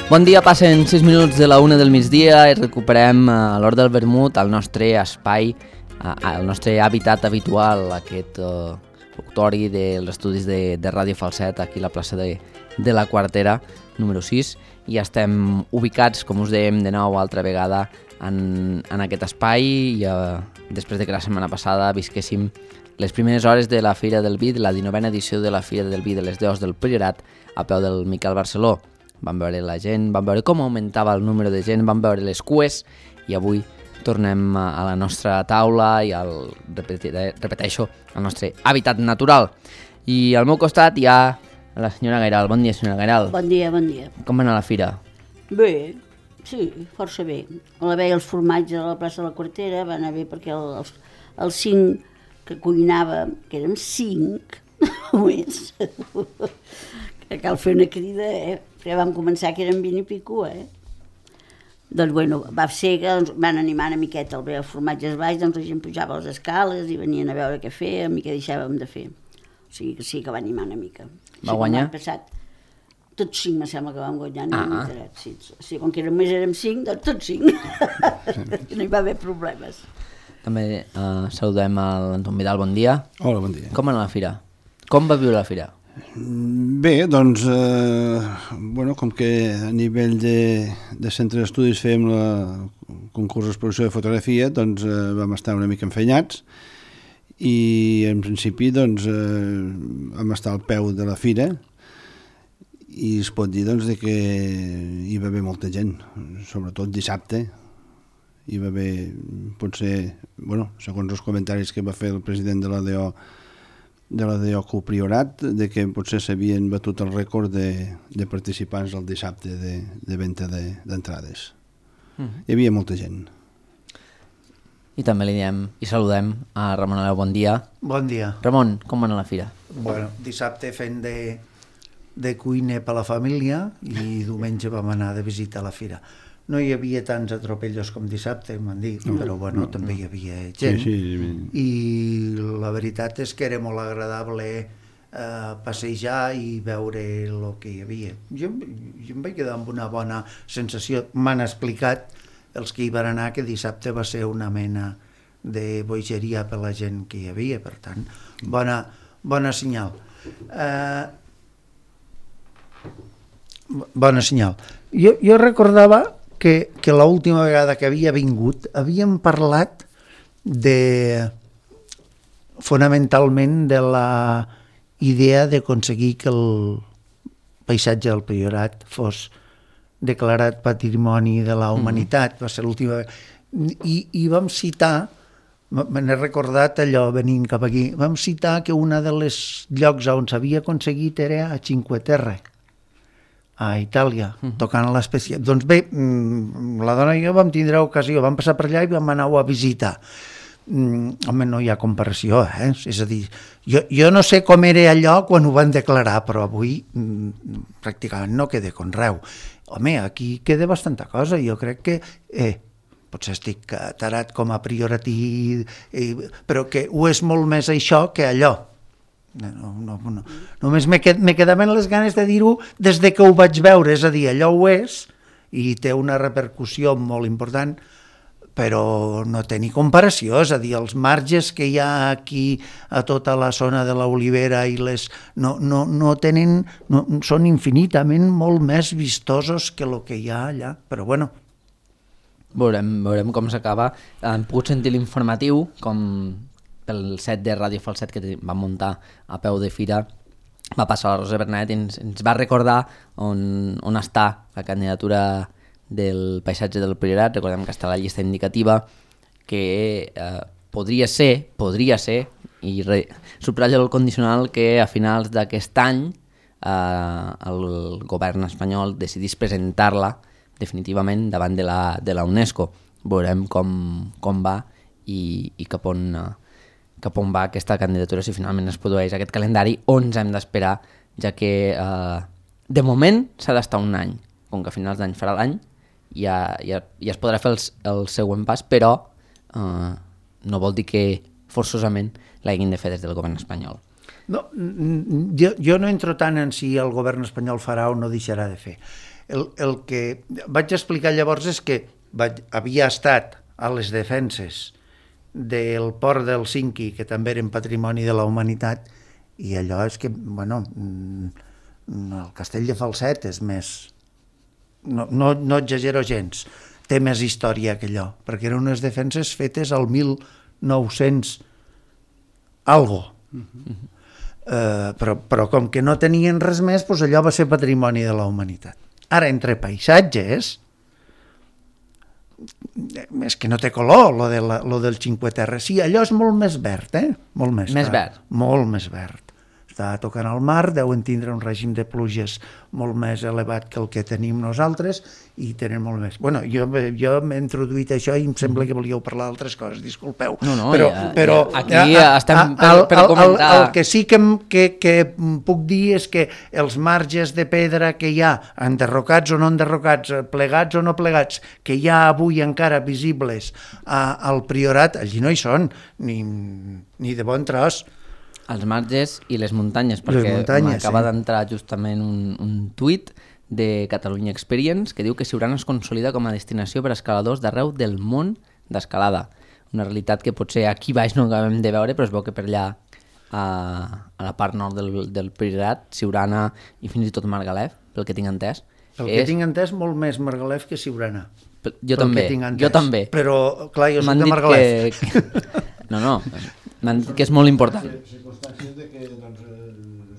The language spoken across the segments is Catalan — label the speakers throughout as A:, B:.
A: Bon dia, passen 6 minuts de la 1 del migdia i recuperem a l'hora del vermut el nostre espai, el nostre hàbitat habitual, aquest auditori dels estudis de Ràdio Falset, aquí a la plaça de la Quartera, número 6, i estem ubicats, com us dèiem de nou altra vegada, en aquest espai, i després de que la setmana passada visquéssim les primeres hores de la Fira del Vi, de la 19a edició de la Fira del Vi de les Deus del Priorat, a peu del Miquel Barceló. Vam veure la gent, vam veure com augmentava el número de gent, vam veure les cues, i avui tornem a la nostra taula i repeteixo, al nostre hàbitat natural. I al meu costat hi ha la senyora Gairal. Bon dia, senyora Gairal.
B: Bon dia, bon dia.
A: Com va anar la fira?
B: Bé, sí, força bé. A la veia els formatges a la plaça de la Quartera va anar bé perquè els 5 que cuinava, que érem 5, només, que cal fer una crida, perquè vam començar que eren 20 i pico, Doncs, bueno, va ser que van animar una miqueta el formatges baix, doncs la gent pujava a les escales i venien a veure què fèiem i què deixàvem de fer. O sigui que sí que va animar una mica.
A: Va guanyar?
B: Passat, tots 5 me sembla que vam guanyar, no m'he enterat. Sí, com que només érem 5, doncs tots 5. No hi va haver problemes.
A: També saludem a l'Anton Vidal, bon dia.
C: Hola, bon dia.
A: Com va anar la fira? Com va viure la fira?
C: Bé, doncs, com que a nivell de centre d'estudis fèiem el concurs d'exposició de fotografia, doncs vam estar una mica enfenyats i en principi doncs vam estar al peu de la fira i es pot dir doncs que hi va haver molta gent, sobretot dissabte. Hi va haver, potser, segons els comentaris que va fer el president de la DO Priorat, de que potser s'havien batut el rècord de participants el dissabte de venda d'entrades. Hi havia molta gent.
A: I també li diem i saludem a Ramon Aleu, bon dia.
D: Bon dia.
A: Ramon, com va anar la fira?
D: Bueno, dissabte fent de cuiner per la família i diumenge vam anar de visita a la fira. No hi havia tants atropellos com dissabte, m'han dit, però també hi havia gent.
C: Sí.
D: I la veritat és que era molt agradable passejar i veure el que hi havia. Jo em vaig quedar amb una bona sensació. M'han explicat els que hi van anar que dissabte va ser una mena de bogeria per la gent que hi havia, per tant, bona senyal. Bona senyal. Jo recordava que l'última vegada que havia vingut havíem parlat fonamentalment de la idea d'aconseguir que el paisatge del Priorat fos declarat Patrimoni de la Humanitat. Va ser l'última vegada. I vam citar, me n'he recordat allò venint cap aquí, vam citar que un dels llocs on s'havia aconseguit era a Cinque Terre, a Itàlia, tocant a l'espècie. Doncs bé, la dona i jo vam tindre ocasió, vam passar per allà i vam anar-ho a visitar. Home, no hi ha comparació, És a dir, jo no sé com era allò quan ho van declarar, però avui pràcticament no queda conreu. Home, aquí queda bastanta cosa, jo crec que potser estic tarat com a prioratí, però que ho és molt més això que allò. No. Només me quedaven les ganes de dir-ho des de que ho vaig veure, és a dir, allò ho és i té una repercussió molt important, però no té ni comparació, és a dir, els marges que hi ha aquí a tota la zona de l'Olivera i no tenen, són infinitament molt més vistosos que el que hi ha allà, però bueno.
A: Veurem com s'acaba. Hem pogut sentir l'informatiu, com pel set de Ràdio Falset que vam muntar a peu de fira, va passar la Rosa Bernet i ens va recordar on està la candidatura del paisatge del Priorat. Recordem que està a la llista indicativa, que podria ser, i subratllo el condicional, que a finals d'aquest any el govern espanyol decidís presentar-la definitivament davant de la UNESCO. Veurem com va i cap on va aquesta candidatura, si finalment es produeix aquest calendari, on ens hem d'esperar, ja que de moment s'ha d'estar un any, com que a finals d'any farà l'any, ja es podrà fer el següent pas, però no vol dir que forçosament l'hagin de fer des del govern espanyol.
D: No, jo no entro tant en si el govern espanyol farà o no deixarà de fer. El que vaig explicar llavors és que havia estat a les defenses del port d'Helsinki, que també eren patrimoni de la humanitat, i allò és que, bueno, el castell de Falset és més... No exagero gens, té més història que allò, perquè eren unes defenses fetes al 1900 algo. Però com que no tenien res més, doncs allò va ser patrimoni de la humanitat. Ara, entre paisatges, és que no té color, lo del Cinque Terre. Sí, allò és molt més verd, Molt més
A: verd.
D: Molt més verd. Està tocant al mar, deuen tindre un règim de pluges molt més elevat que el que tenim nosaltres i tenen molt més... Bueno, jo m'he introduït això i em sembla que volíeu parlar d'altres coses, disculpeu.
A: No,
D: però
A: aquí estem per comentar...
D: El que sí que puc dir és que els marges de pedra que hi ha, enderrocats o no enderrocats, plegats o no plegats, que hi ha avui encara visibles al Priorat, allí no hi són, ni de bon tros.
A: Els marges i les muntanyes, perquè m'acaba d'entrar justament un tuit de Catalunya Experience que diu que Siurana es consolida com a destinació per a escaladors d'arreu del món d'escalada. Una realitat que potser aquí baix no acabem de veure, però es veu que per allà a la part nord del Priorat, Siurana i fins i tot Margalef, pel que tinc entès.
D: Que tinc entès, molt més Margalef que Siurana.
A: Jo també.
D: Però, clar, jo soc de Margalef.
A: No, m'han dit que és molt important.
C: Circumstàncies de que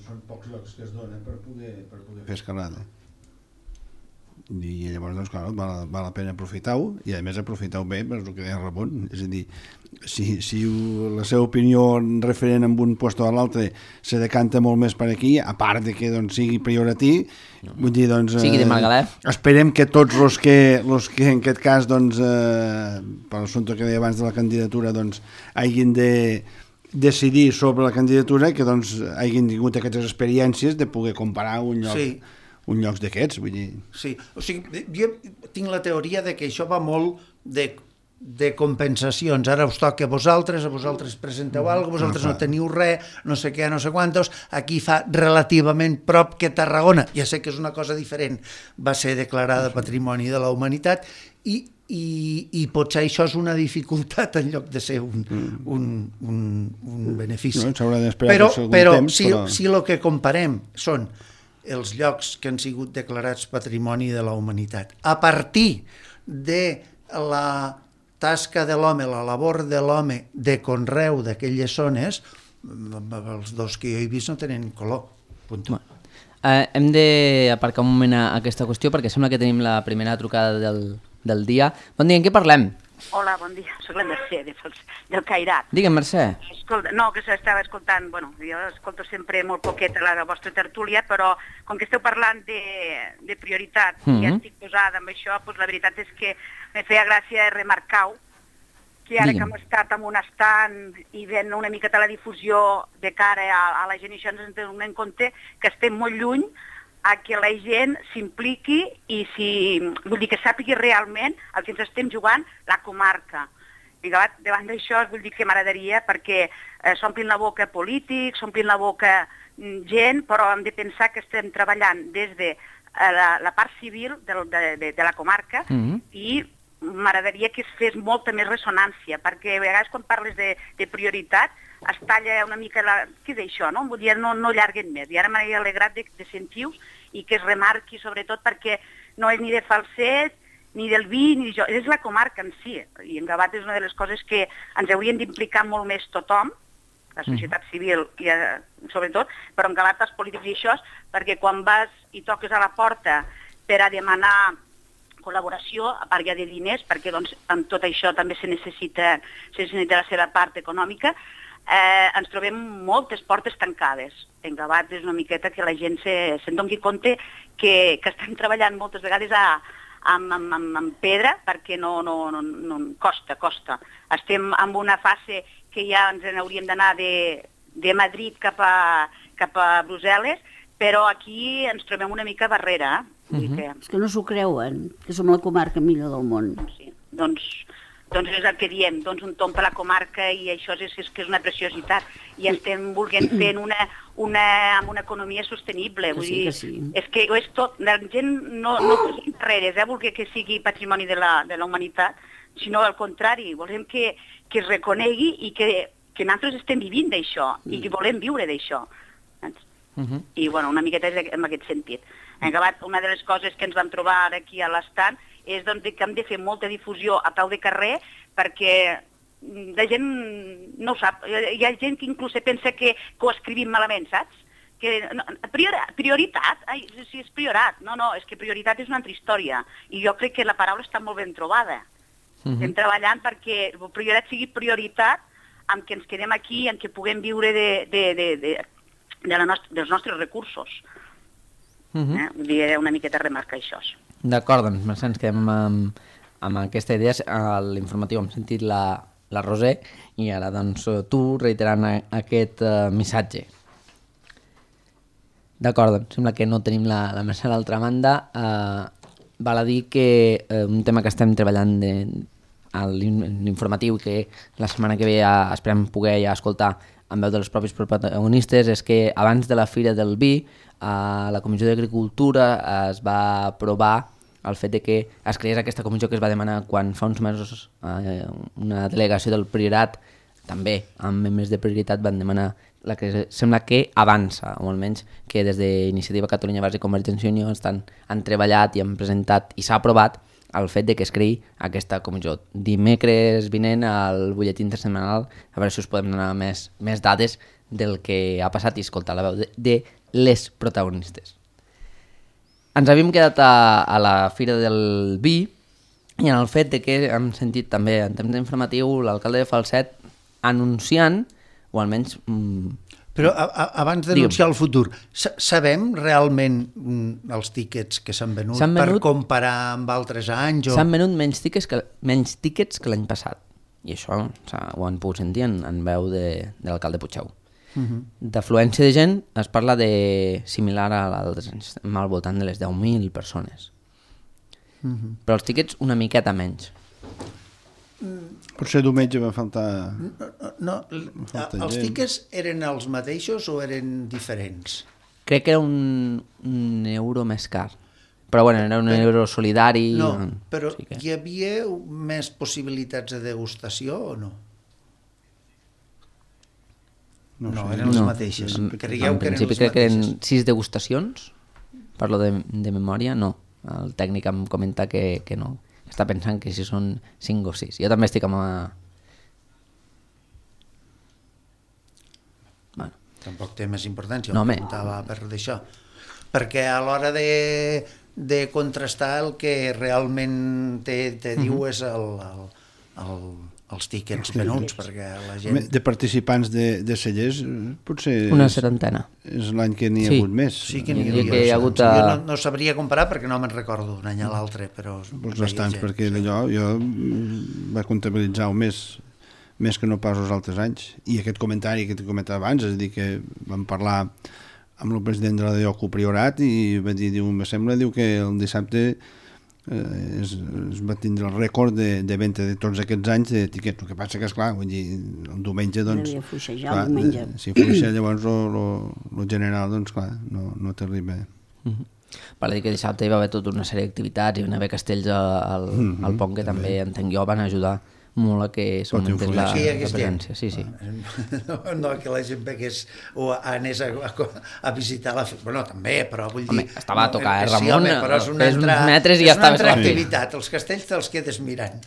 C: són pocs llocs que es donen per poder fer escalada. I llavors, doncs, clar, val la pena aprofitar-ho i a més aprofitar-ho bé per el que deia Ramon. És a dir, si la seva opinió referent amb un lloc a l'altre se decanta molt més per aquí, a part de que sigui prioratí, vull dir, doncs...
A: Sigui de Margalef.
C: Esperem que tots els que en aquest cas, doncs, per l'assumpte que deia abans de la candidatura, doncs, hagin de decidir sobre la candidatura, que doncs hagin tingut aquestes experiències de poder comparar un lloc... Sí. Un lloc d'aquests, vull dir...
D: Sí, o sigui, jo tinc la teoria de que això va molt de compensacions. Ara us toca a vosaltres presenteu alguna cosa, vosaltres no teniu res, no sé què, no sé quantos, aquí fa relativament prop que Tarragona, ja sé que és una cosa diferent, va ser declarada Patrimoni de la Humanitat i potser això és una dificultat en lloc de ser un benefici.
C: No, s'haurà d'esperar
D: però si el que comparem són els llocs que han sigut declarats Patrimoni de la Humanitat. A partir de la tasca de l'home, la labor de l'home de conreu d'aquelles zones, els dos que jo he vist no tenen color.
A: Hem d'aparcar un moment a aquesta qüestió perquè sembla que tenim la primera trucada del dia. Bon dia, en què parlem?
E: Hola, bon dia, soc la Mercè del Cairat.
A: Digue'm, Mercè.
E: Escolta, no, que s'estava escoltant, bueno, jo escolto sempre molt poqueta la vostra tertúlia, però com que esteu parlant de prioritat i estic posada amb això, doncs la veritat és que me feia gràcia remarcar-ho, que ara que hem estat en un estant i veient una miqueta la difusió de cara a la gent, i això ens donem en compte que estem molt lluny a que la gent s'impliqui i vull dir que sàpigui realment el que ens estem jugant la comarca. I davant d'això vull dir que m'agradaria perquè s'omplin la boca polítics, s'omplin la boca gent, però hem de pensar que estem treballant des de la part civil de la comarca i m'agradaria que es fes molta més ressonància, perquè a vegades quan parles de prioritat es talla una mica què és això, no? Vull dir, no allarguen més. I ara m'he alegrat de sentir-vos i que es remarqui sobretot perquè no és ni de Falset, ni del vi, ni d'això, és la comarca en si. I en Gavat és una de les coses que ens haurien d'implicar molt més tothom, la societat civil i sobretot, però en Gavat els polítics i això, perquè quan vas i toques a la porta per a demanar col·laboració, a part ja de diners, perquè doncs, amb tot això també se necessita la seva part econòmica, ens trobem moltes portes tancades. En Gavat és una miqueta que la gent se'n doni compte que estan treballant moltes vegades amb pedra perquè no costa. Estem en una fase que ja ens n'hauríem d'anar de Madrid cap a Brussel·les, però aquí ens trobem una mica barrera.
B: És que no s'ho creuen, que som la comarca millor del món.
E: Sí. Doncs doncs és el que diem, doncs un tomb per la comarca i això és que és una preciositat. I estem volent fer amb una economia sostenible. Vull dir, és que és tot, la gent no té carreres, voler que sigui patrimoni de la humanitat, sinó al contrari, volem que es reconegui i que nosaltres estem vivint d'això i que volem viure d'això. I bueno, una miqueta és en aquest sentit. En acabat, una de les coses que ens vam trobar aquí a l'estand és doncs, que hem de fer molta difusió a peu de carrer perquè la gent no ho sap. Hi ha gent que inclús pensa que ho escrivim malament, saps? Que, prioritat? Ai, si és priorat. No, és que prioritat és una altra història. I jo crec que la paraula està molt ben trobada. Estem treballant perquè prioritat sigui prioritat amb que ens quedem aquí, amb que puguem viure dels nostres recursos. Vull dir, una miqueta remarcar això.
A: D'acord, doncs ens quedem amb aquesta idea. A l'informatiu hem sentit la Roser i ara doncs tu reiterant aquest missatge. D'acord, doncs sembla que no tenim la Mercè a l'altra banda. Val a dir que un tema que estem treballant a l'informatiu que la setmana que ve esperem poder ja escoltar amb veu dels propis protagonistes és que abans de la Fira del Vi a la Comissió d'Agricultura es va aprovar el fet de que es creés aquesta comissió que es va demanar quan fa uns mesos una delegació del Priorat també amb membres de prioritat van demanar la que sembla que avança, o almenys que des d'Iniciativa Catalunya Verds i Convergència i Unió han treballat i han presentat i s'ha aprovat el fet de que es creï aquesta comissió. Dimecres vinent al butlletí intersetmanal a veure si us podem donar més dades del que ha passat i escoltar la veu de les protagonistes. Ens havíem quedat a la Fira del Vi i en el fet de que hem sentit també en temps informatiu l'alcalde de Falset anunciant, o almenys...
D: Però abans d'anunciar el futur, sabem realment els tíquets que s'han venut per comparar amb altres anys?
A: S'han venut menys tíquets que l'any passat. I això ho han pogut sentir en veu de l'alcalde Puigdeu. D'afluència de gent es parla de similar a l'altres anys, al voltant de les 10.000 persones. Però els tíquets una miqueta menys.
C: Potser diumenge va faltar...
D: No, els tíquets eren els mateixos o eren diferents?
A: Crec que era un euro més car. Però bueno, era un euro solidari...
D: No, però hi havia més possibilitats de degustació o no? No, eren les mateixes.
A: En principi crec que eren 6 degustacions, parlo de memòria, no. El tècnic em comenta que no. Està pensant que si són 5 o 6. Jo també estic amb...
D: Bueno. Tampoc té més importància, ho preguntava per d'això. Perquè a l'hora de contrastar el que realment te diu és els tíquets venuts, perquè la gent...
C: De participants de cellers, potser...
A: Una setantena.
C: És l'any que n'hi ha hagut més.
D: Sí que n'hi ha hagut. Jo no sabria comparar perquè no me'n recordo d'un any a l'altre, però...
C: Doncs bastants, perquè allò jo va comptabilitzar més que no pas els altres anys. I aquest comentari que t'he comentat abans, és a dir, que vam parlar amb el president de la DOCU Priorat i va dir, me sembla, que el dissabte es va tindre el rècord de venda de tots aquests anys de tiquets. El que passa que, esclar, vull dir, el diumenge, doncs...
B: Devia fluixejar el diumenge.
C: Si fluixa, llavors el general, doncs, clar, no t'arriba.
A: Per dir que dissabte hi va haver tota una sèrie d'activitats, hi va haver castells al pont que també, entenc jo, van ajudar molt a que s'augmentés la presència. Sí.
D: No que la gent vegués o anés a visitar la... Bueno, també, però vull dir...
A: Home, estava a tocar Ramon,
D: però és una altra activitat, els castells te'ls quedes mirant.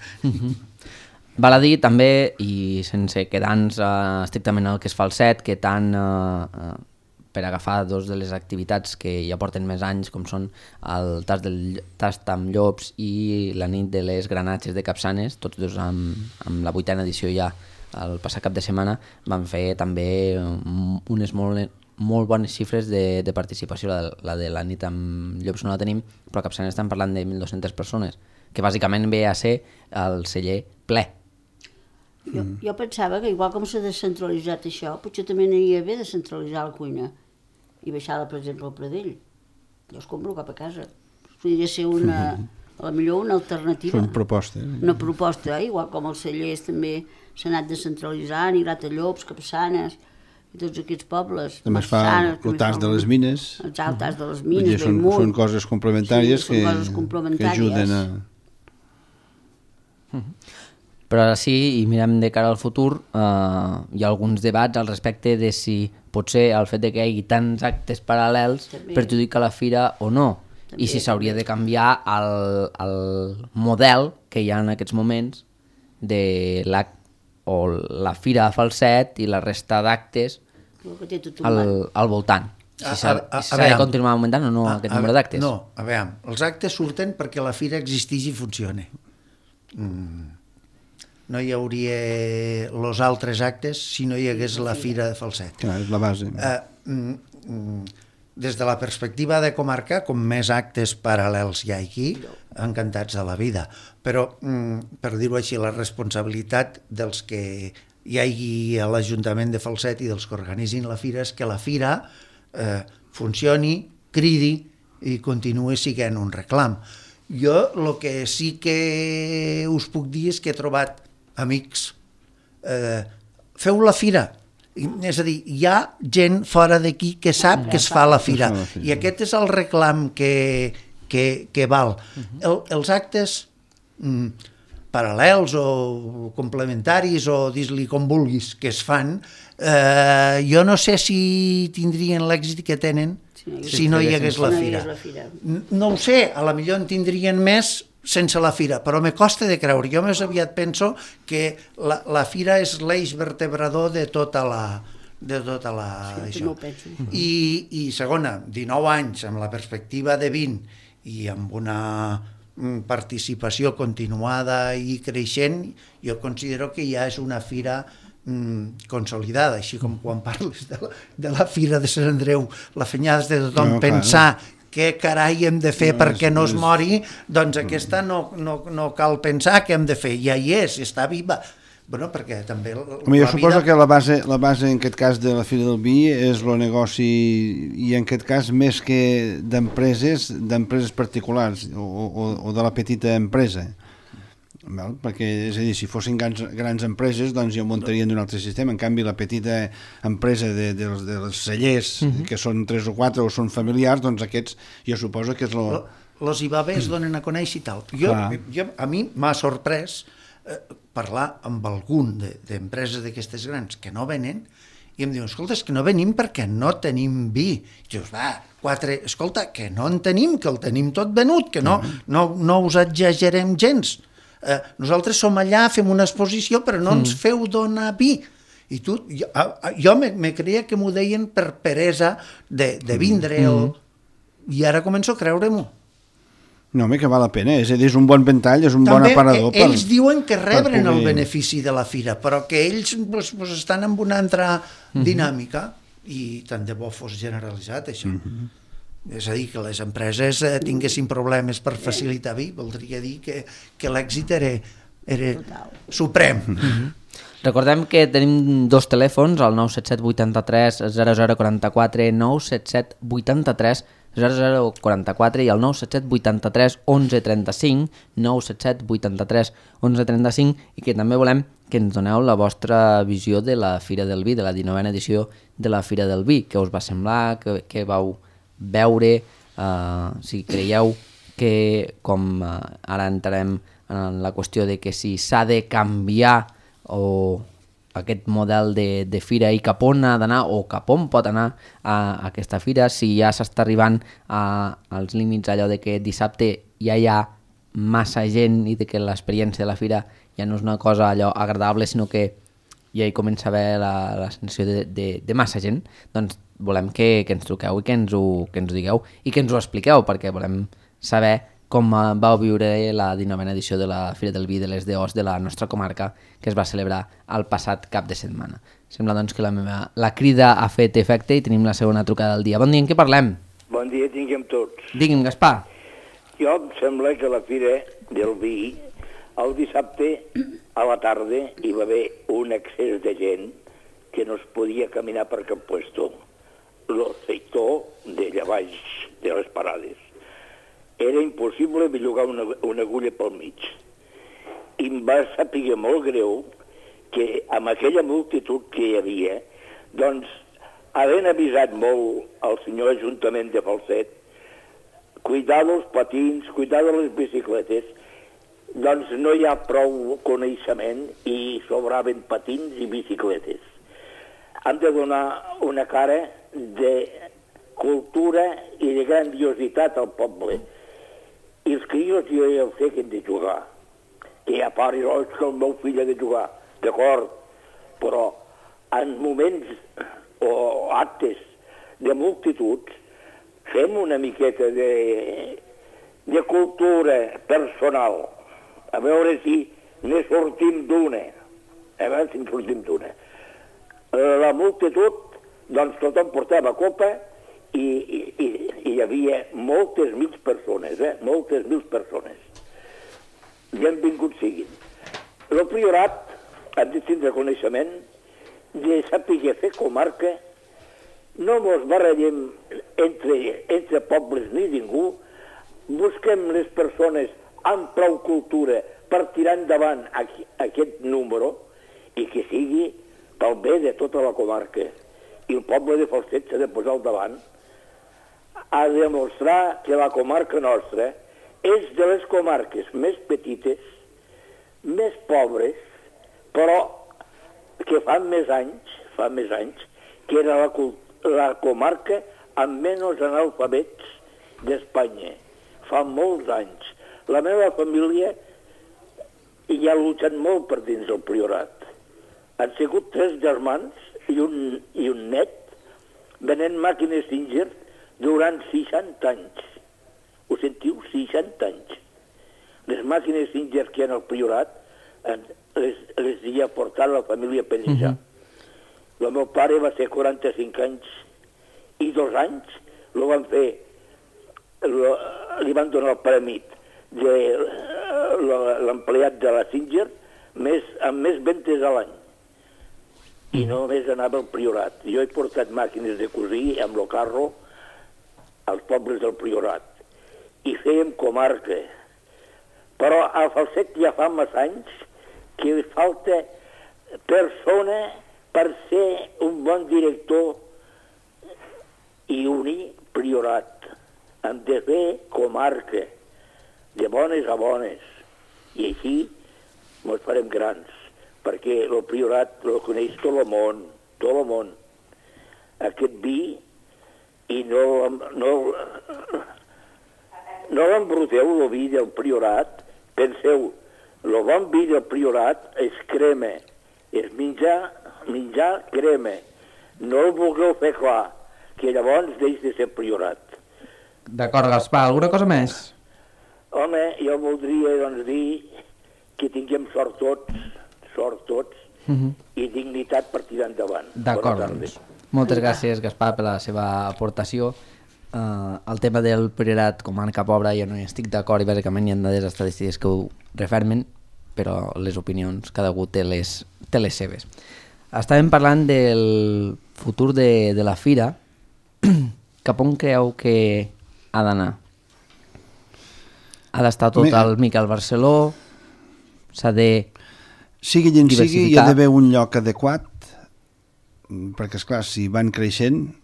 A: Val a dir també, i sense quedar-nos estrictament al que es fa el set, que tant per agafar dos de les activitats que ja porten més anys, com són el tast amb llops i la nit de les granatges de Capçanes, tots dos amb la 8a edició ja el passat cap de setmana, van fer també unes molt bones xifres de participació. La de la nit amb llops no la tenim, però a Capçanes estan parlant de 1.200 persones, que bàsicament ve a ser el celler ple.
B: Jo pensava que igual com s'ha descentralitzat això, potser també aniria bé descentralitzar la cuina i baixar-la, per exemple, al Pradell. Jo es compro cap a casa. Podria ser una a la millor una alternativa.
C: Són propostes.
B: Una proposta, igual com els cellers també s'ha anat descentralitzant, i Gratallops, Capçanes, i tots aquests pobles.
C: També es fa el tas de les mines.
B: El tas de les mines,
C: són coses complementàries,
B: sí,
C: que ajuden a...
A: Però ara sí, i mirem de cara al futur, hi ha alguns debats al respecte de si potser el fet de que hi hagi tants actes paral·lels perjudica la fira o no, i si s'hauria de canviar el model que hi ha en aquests moments de la fira a Falset i la resta d'actes al voltant. Si s'ha de continuar augmentant o no aquest número d'actes?
D: No, a veure, els actes surten perquè la fira existeix i funciona. No hi hauria els altres actes si no hi hagués la fira de Falset.
C: Clar, és la base.
D: Des de la perspectiva de comarca, com més actes paral·lels hi ha aquí, encantats de la vida. Però, per dir-ho així, la responsabilitat dels que hi hagi a l'Ajuntament de Falset i dels que organitzin la fira és que la fira funcioni, cridi i continuï sent un reclam. Jo el que sí que us puc dir és que he trobat amics. Feu la fira. És a dir, hi ha gent fora d'aquí que sap que es fa la fira, i aquest és el reclam que val. Els actes paral·lels o complementaris o dis-li com vulguis que es fan, jo no sé si tindrien l'èxit que tenen si no hi hagués la fira. No ho sé, a la millor en tindrien més sense la fira, però me costa de creure. Jo més aviat penso que la fira és l'eix vertebrador de tota la això. I segona, 19 anys amb la perspectiva de 20 i amb una participació continuada i creixent, jo considero que ja és una fira consolidada, així com quan parles de la fira de Sant Andreu, la fenyada de tothom pensar què carai hem de fer perquè no es mori, doncs aquesta no cal pensar què hem de fer, ja hi és, està viva. Bueno, perquè també
C: jo suposo que la base en aquest cas de la Fira del Vi és el negoci, i en aquest cas més que d'empreses particulars o de la petita empresa. Perquè, és a dir, si fossin grans empreses, doncs ja ho muntarien d'un altre sistema. En canvi, la petita empresa dels cellers, que són 3 o 4 o són familiars, doncs aquests jo suposo que és
D: los IBAB es donen a conèixer i tal. A mi m'ha sorprès parlar amb algun d'empreses d'aquestes grans que no venen i em diuen, escolta, és que no venim perquè no tenim vi. I dius, escolta, que no en tenim, que el tenim tot venut, que no us exagerem gens. Nosaltres som allà, fem una exposició, però no ens feu donar vi. I jo me creia que m'ho deien per peresa de vindre, i ara començo a creure-m'ho.
C: No, home, que val la pena, és a dir, és un bon ventall, és un bon aparador.
D: Ells diuen que rebren el benefici de la fira, però que ells estan en una altra dinàmica, i tant de bo fos generalitzat, això. És a dir, que les empreses tinguessin problemes per facilitar vi, voldria dir que l'èxit era suprem.
A: Recordem que tenim 2 telèfons, el 977 83 0044, 977 83 0044 i el 977 83 1135, 977 83 1135, i que també volem que ens doneu la vostra visió de la Fira del Vi, de la 19a edició de la Fira del Vi. Què us va semblar, què vau veure, si creieu que, com ara entrarem en la qüestió de que si s'ha de canviar o aquest model de fira i cap on ha d'anar o cap on pot anar a aquesta fira, si ja s'està arribant als límits allò de que dissabte ja hi ha massa gent i de que l'experiència de la fira ja no és una cosa allò agradable, sinó que ja hi comença a haver la sensació de massa gent. Doncs volem que ens truqueu i que ens ho digueu i que ens ho expliqueu, perquè volem saber com vau viure la 19a edició de la Fira del Vi de les DOs de la nostra comarca, que es va celebrar el passat cap de setmana. Sembla doncs que la crida ha fet efecte i tenim la segona trucada del dia. Bon dia, en què parlem?
F: Bon dia, tinguem tots.
A: Digui'm, Gaspar.
F: Jo em sembla que la Fira del Vi, el dissabte a la tarda hi va haver un excés de gent que no es podia caminar per cap puesto. El sector d'allà baix de les parades. era impossible bellugar una agulla pel mig. I em va saber molt greu que amb aquella multitud que hi havia, doncs, havent avisat molt el senyor Ajuntament de Falset, cuidar dels patins, cuidar de les bicicletes, doncs no hi ha prou coneixement i sobraven patins i bicicletes. Han de donar una cara de cultura i de grandiositat al poble. I els crios jo ja ho sé que hem de jugar. Que hi ha pares, és que el meu fill ha de jugar. D'acord, però en moments o actes de multituds fem una miqueta de cultura personal. A veure si ne sortim d'una. A veure si en sortim d'una. La multitud, doncs tothom portava copa i hi havia moltes mil persones, moltes mil persones. Benvinguts siguin. El priorat ha de tindre coneixement de saber fer comarca, no mos barallem entre pobles ni ningú, busquem les persones amb prou cultura per tirar endavant aquest número i que sigui pel bé de tota la comarca. I el poble de Falset s'ha de posar al davant a demostrar que la comarca nostra és de les comarques més petites, més pobres, però que fa més anys, que era la comarca amb menys analfabets d'Espanya. Fa molts anys. La meva família hi ha lluitat molt per dins del Priorat. Han sigut 3 germans i un net venent màquines Singer durant 60 anys. Ho sentiu? 60 anys. Les màquines Singer que hi ha al Priorat les hi ha portat la família Pellijà. El meu pare va ser 45 anys i 2 anys li van donar el premi de l'empleat de la Singer amb més ventes a l'any. I només anava al Priorat. Jo he portat màquines de cosir amb el carro als pobles del Priorat. I fèiem comarca. Però a Falset ja fa massa anys que falta persona per ser un bon director i unir Priorat. Hem de fer comarca, de bones a bones. I així ens farem grans, perquè el Priorat el coneix tot el món. Aquest vi, i no l'embruteu, el vi del Priorat. Penseu, el bon vi del Priorat és crema, és menjar crema. No el vulgueu fer clar, que llavors deix de ser Priorat.
G: D'acord, Gaspar, alguna cosa més?
F: Home, jo voldria doncs, dir que tinguem sort tots, i dignitat per tirar endavant.
A: D'acord, doncs. Moltes gràcies, Gaspar, per la seva aportació. El tema del Priorat comarca pobra jo no hi estic d'acord, i bàsicament hi ha dades estadístiques que ho refermen, però les opinions, cada algú té les seves. Estàvem parlant del futur de la fira. Cap on creu que ha d'anar? Ha d'estar tot el Miquel Barceló? S'ha de
C: sigui quin sigui, hi ha
A: diversificar?
C: d'haver un lloc adequat, perquè, esclar, si van creixent,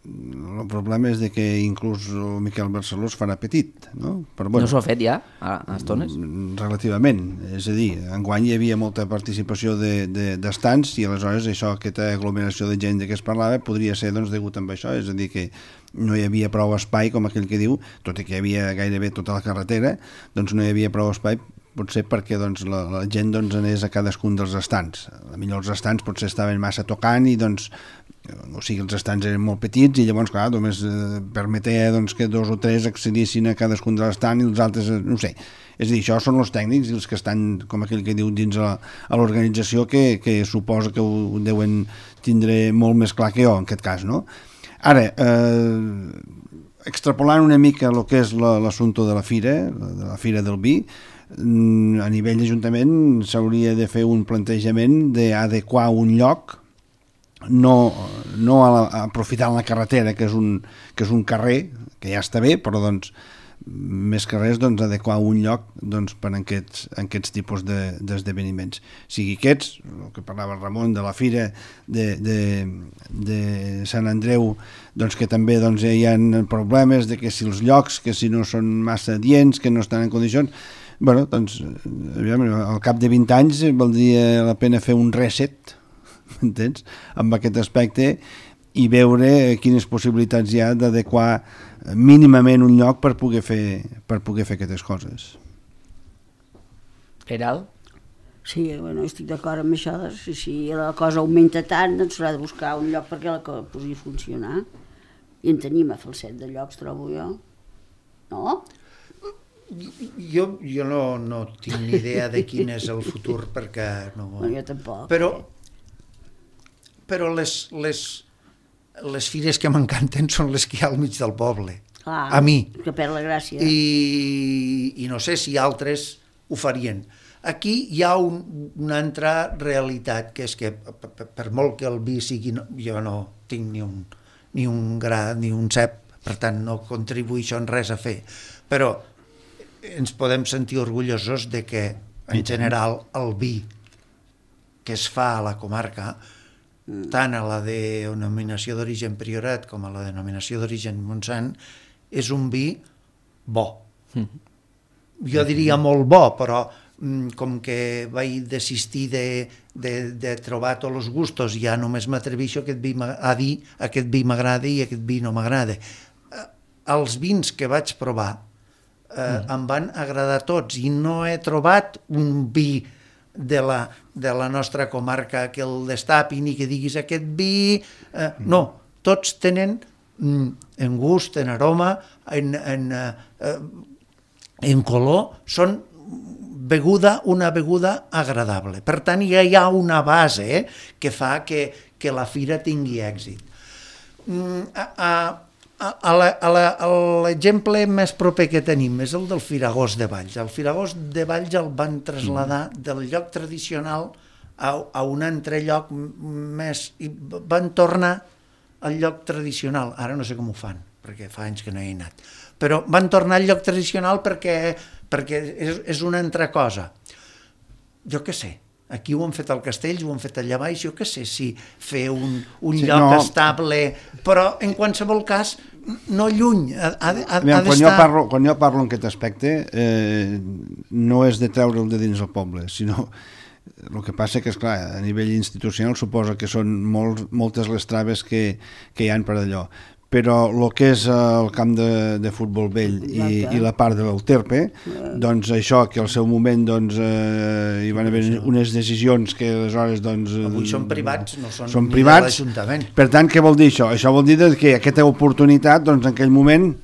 C: el problema és de que inclús el Miquel Barceló es farà petit, no? Però, bueno,
A: no s'ho ha fet ja, a estones?
C: Relativament, és a dir, enguany hi havia molta participació d'estants i aleshores això, aquesta aglomeració de gent de què es parlava podria ser doncs, degut amb això, és a dir, que no hi havia prou espai, com aquell que diu, tot i que hi havia gairebé tota la carretera, doncs no hi havia prou espai, potser perquè doncs, la gent doncs, anés a cadascun dels estants. Potser els estants potser estaven massa tocant i doncs, o sigui, els estants eren molt petits i llavors, clar, només permetia doncs, que 2 o 3 accedissin a cadascun de l'estant i els altres, no sé. És a dir, això són els tècnics i els que estan, com aquell que diu, dins a l'organització que suposa que ho deuen tindre molt més clar que jo, en aquest cas, no? Ara, extrapolant una mica el que és l'assumpte de la fira del vi, a nivell d'Ajuntament s'hauria de fer un plantejament d'adequar un lloc, no aprofitant la carretera, que és un carrer, que ja està bé, però doncs més que res doncs, adequar un lloc doncs, per a aquests tipus d'esdeveniments. Sigui aquests, el que parlava el Ramon, de la Fira de Sant Andreu, doncs, que també doncs, hi ha problemes de que si els llocs, que si no són massa adients, que no estan en condicions. Bueno, doncs, al cap de 20 anys valdria la pena fer un reset, entens?, amb aquest aspecte, i veure quines possibilitats hi ha d'adequar mínimament un lloc per poder fer aquestes coses.
A: Eral?
B: Sí, bueno, estic d'acord amb això. Si la cosa augmenta tant, doncs s'haurà de buscar un lloc perquè la cosa pugui funcionar. I en tenim a Falset de llocs, trobo jo. No?
D: Jo no tinc ni idea de quin és el futur, perquè no...
B: Bueno, jo tampoc.
D: Però les fires que m'encanten són les que hi ha al mig del poble.
B: Clar,
D: a mi.
B: Que perd la gràcia.
D: I no sé si altres ho farien. Aquí hi ha una altra realitat, que és que per molt que el vi sigui... Jo no tinc ni un gra, ni un cep, per tant no contribueixo en res a fer. Però ens podem sentir orgullosos de que, en general, el vi que es fa a la comarca, tant a la denominació d'origen Priorat com a la denominació d'origen Montsant, és un vi bo. Jo diria molt bo, però com que vaig desistir de trobar tots els gustos, ja només m'atreveixo a dir aquest vi m'agrada i aquest vi no m'agrada. Els vins que vaig provar em van agradar tots i no he trobat un vi de la nostra comarca que el destapin i que diguis aquest vi... No, tots tenen en gust, en aroma, en color, són una beguda agradable. Per tant, ja hi ha una base que fa que la fira tingui èxit. L'exemple més proper que tenim és el del Firagós de Valls. El Firagós de Valls el van traslladar del lloc tradicional a un altre lloc més, i van tornar al lloc tradicional. Ara no sé com ho fan, perquè fa anys que no hi he anat. Però van tornar al lloc tradicional perquè és una altra cosa. Jo què sé, aquí ho han fet al Castells, ho han fet allà baix, jo què sé si fer un lloc estable, però en qualsevol cas no lluny, ha d'estar...
C: Quan jo parlo en aquest aspecte, no és de treure'l de dins el poble, sinó el que passa que, esclar, a nivell institucional suposa que són moltes les traves que hi ha per allò. Però el que és el camp de futbol vell i la part de l'Euterpe, doncs això, que al seu moment hi van haver unes decisions que aleshores...
D: Avui són privats, no són ni
C: privats.
D: de l'Ajuntament.
C: Per tant, què vol dir això? Això vol dir que aquesta oportunitat, doncs, en aquell moment,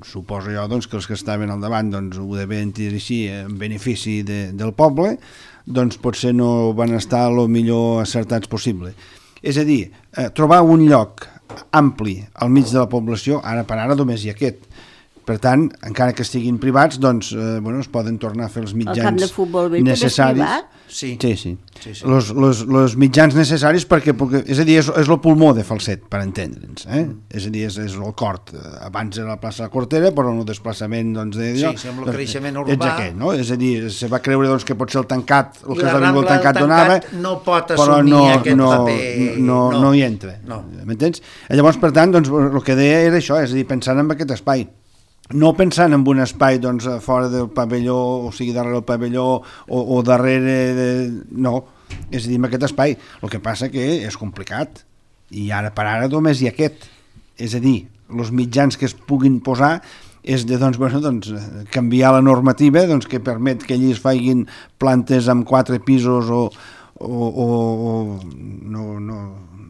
C: suposo jo que els que estaven al davant ho devien dir així en benefici del poble, doncs potser no van estar el millor acertats possible. És a dir, trobar un lloc ampli al mig de la població, ara per ara només hi ha aquest. Per tant, encara que estiguin privats, doncs, es poden tornar a fer els mitjans necessaris. El camp de futbol vell també és privat? Sí. Els mitjans necessaris perquè, és a dir, és el pulmó de Falset, per entendre'ns. És a dir, és el cort. Abans era la plaça de la Cortera, però en el desplaçament
D: Sí, amb el creixement urbà.
C: Ets aquest, no? És a dir, se va creure que potser el tancat, el que és el tancat donava,
D: no pot assumir aquest paper.
C: No hi entra. M'entens? Llavors, per tant, el que deia era això, és a dir, pensant en aquest espai. No pensant en un espai fora del pavelló, o sigui, darrere del pavelló o darrere... No, és a dir, en aquest espai. El que passa que és complicat i ara per ara només hi ha aquest. És a dir, els mitjans que es puguin posar és de canviar la normativa que permet que allí es facin plantes amb 4 pisos o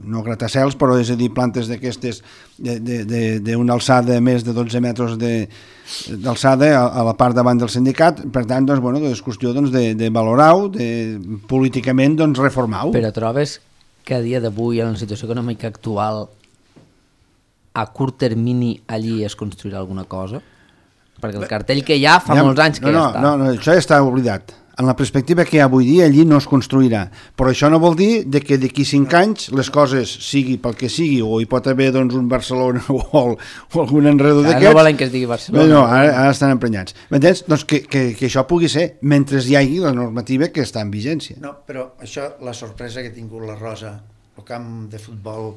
C: no gratacels, però és a dir, plantes d'aquestes d'una alçada més de 12 metres d'alçada a la part davant del sindicat. Per tant, és qüestió de valorar-ho, políticament reformar-ho.
A: Però trobes que a dia d'avui, en la situació econòmica actual, a curt termini allí es construirà alguna cosa? Perquè el cartell que hi ha fa molts anys que ja està.
C: No, això ja està oblidat. en la perspectiva que hi ha avui dia, allí no es construirà. Però això no vol dir de que d'aquí 5 anys les coses sigui pel que sigui, o hi pot haver doncs, un Barcelona o algun enredo d'aquests.
A: No volen que es digui Barcelona.
C: No, ara estan emprenyats. M'entens? Doncs que això pugui ser, mentre hi hagi la normativa que està en vigència.
D: No, però això, la sorpresa que ha tingut la Rosa, el camp de futbol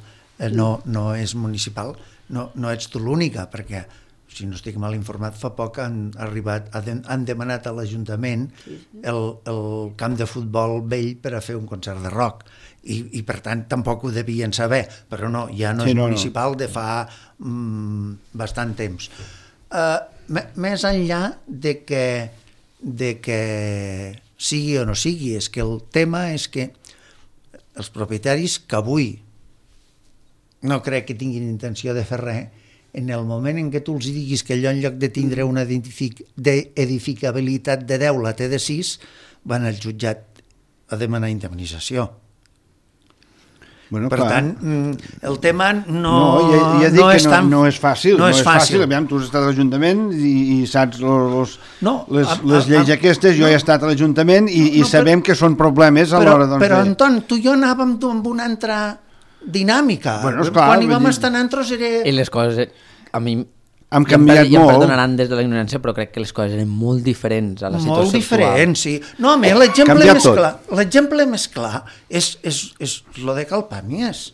D: no és municipal, no ets tu l'única, perquè si no estic mal informat, fa poc han demanat a l'Ajuntament el camp de futbol vell per a fer un concert de rock. I per tant tampoc ho devien saber, però no, ja no és municipal de fa bastant temps. Més enllà de que sigui o no sigui, és que el tema és que els propietaris que avui no crec que tinguin intenció de fer res, en el moment en què tu els diguis que allò en lloc de tindre una edificabilitat de 10 la té de 6, van al jutjat a demanar indemnització.
C: Bueno,
D: per tant, el tema no
C: és tan... No és fàcil. No és fàcil. Aviam, tu has estat a l'Ajuntament i saps les lleis aquestes. Jo he estat a l'Ajuntament i sabem que són problemes a l'hora...
D: Però, Anton, tu i jo anàvem amb una altra dinàmica. Quan hi vam estar nosaltres era...
A: I les coses, a mi...
C: Han canviat molt.
A: Ja em perdonaran des de la ignorància, però crec que les coses eren molt diferents a la situació
D: molt diferents, sí. No, a mi l'exemple més clar és lo de Calpàmies.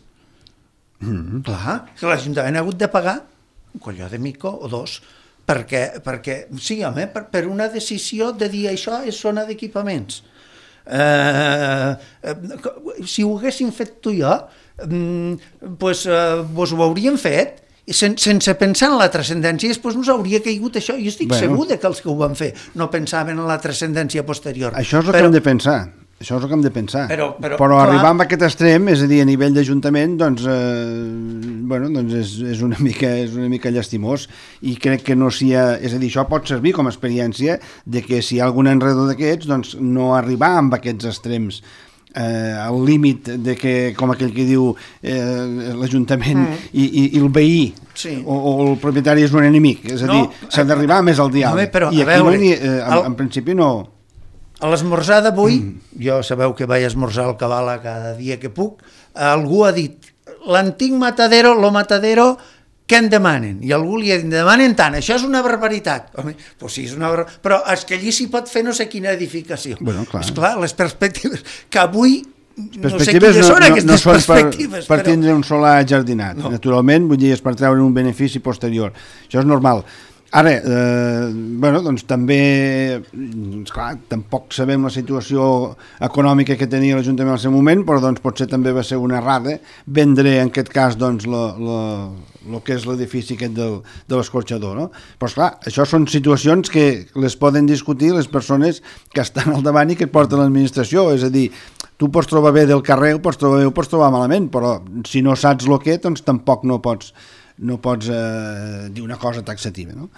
D: Clar, que l'Ajuntament ha hagut de pagar un colló de mico o dos, perquè sí, home, per una decisió de dir això és zona d'equipaments. Si ho haguéssim fet tu i jo, doncs ho hauríem fet, sense pensar en la transcendència, després no s'hauria caigut això. Jo estic segur que els que ho van fer no pensaven en la transcendència posterior.
C: Això és el que hem de pensar. Això és el que hem de pensar. Però arribar a aquest extrem, és a dir, a nivell d'Ajuntament, doncs és una mica llastimós, i crec que no s'hi ha... És a dir, això pot servir com a experiència de que si hi ha algun enredo d'aquests, doncs no arribar amb aquests extrems al límit de que, com aquell que diu l'Ajuntament i el veí o el propietari és un enemic, és a dir, s'ha d'arribar més al diàleg, i aquí en principi no.
D: A l'esmorzar d'avui, jo sabeu que vaig esmorzar al Cabala cada dia que puc, algú ha dit l'antic Matadero, lo Matadero què en demanen? I algú li ha dit, demanen tant, això és una barbaritat. Home, doncs sí, és una barbaritat, però és que allí s'hi pot fer no sé quina edificació. És clar, les perspectives que avui no sé quines són aquestes perspectives.
C: Per tindre un solar jardinat, naturalment, vull dir, és per treure un benefici posterior. Això és normal. Ara, doncs també, esclar, tampoc sabem la situació econòmica que tenia l'Ajuntament al seu moment, però doncs potser també va ser una errada vendre en aquest cas doncs el que és l'edifici aquest de l'escorxador, no? Però esclar, això són situacions que les poden discutir les persones que estan al davant i que et porten l'administració, és a dir, tu pots trobar bé del carrer, ho pots trobar bé, ho pots trobar malament, però si no saps el que, doncs tampoc no pots dir una cosa taxativa, no?